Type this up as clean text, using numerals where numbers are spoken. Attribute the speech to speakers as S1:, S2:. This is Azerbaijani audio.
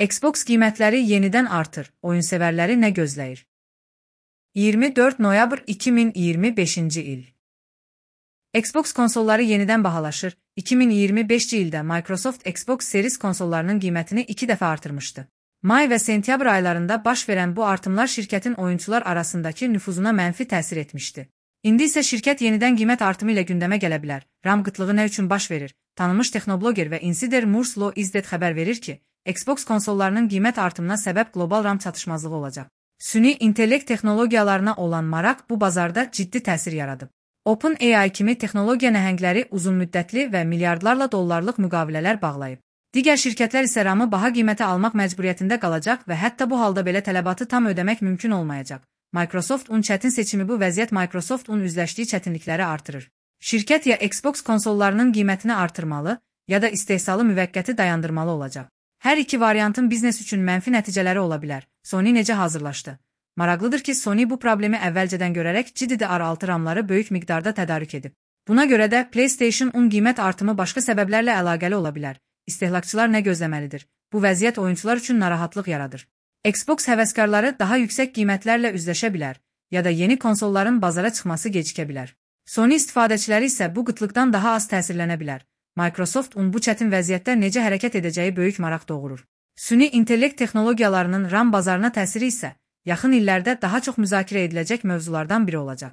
S1: Xbox qiymətləri yenidən artır, oyunsevərləri nə gözləyir? 24 noyabr 2025-ci il. Xbox konsolları yenidən bahalaşır. 2025-ci ildə Microsoft Xbox Series konsollarının qiymətini 2 dəfə artırmışdı. May və sentyabr aylarında baş verən bu artımlar şirkətin oyunçular arasındakı nüfuzuna mənfi təsir etmişdi. İndi isə şirkət yenidən qiymət artımı ilə gündəmə gələ bilər. RAM qıtlığı nə üçün baş verir? Tanınmış texnobloger və insider Murs Law Izdet xəbər verir ki, Xbox konsollarının qiymət artımına səbəb qlobal RAM çatışmazlığı olacaq. Süni intellekt texnologiyalarına olan maraq bu bazarda ciddi təsir yaradıb. OpenAI kimi texnologiya nəhəngləri uzunmüddətli və milyardlarla dollarlıq müqavilələr bağlayıb. Digər şirkətlər isə RAM-ı baha qiymətə almaq məcburiyyətində qalacaq və hətta bu halda belə tələbatı tam ödəmək mümkün olmayacaq. Microsoft-un çətin seçimi bu vəziyyət Microsoft-un üzləşdiyi çətinlikləri artırır. Şirkət ya Xbox konsollarının qiymətini artırmalı, ya da istehsalı müvəqqəti dayandırmalı olacaq. Hər iki variantın biznes üçün mənfi nəticələri ola bilər. Sony necə hazırlaşdı? Maraqlıdır ki, Sony bu problemi əvvəlcədən görərək GDDR6 RAM-ları böyük miqdarda tədarük edib. Buna görə də PlayStation-un qiymət artımı başqa səbəblərlə əlaqəli ola bilər. İstehlakçılar nə gözləməlidir? Bu vəziyyət oyunçular üçün narahatlıq yaradır. Xbox həvəskarları daha yüksək qiymətlərlə üzləşə bilər, ya da yeni konsolların bazara çıxması gecikə bilər. Sony istifadəçiləri isə bu qıtlıqdan daha az təsirlənə bilər. Microsoft-un bu çətin vəziyyətdə necə hərəkət edəcəyi böyük maraq doğurur. Süni intellekt texnologiyalarının RAM bazarına təsiri isə yaxın illərdə daha çox müzakirə ediləcək mövzulardan biri olacaq.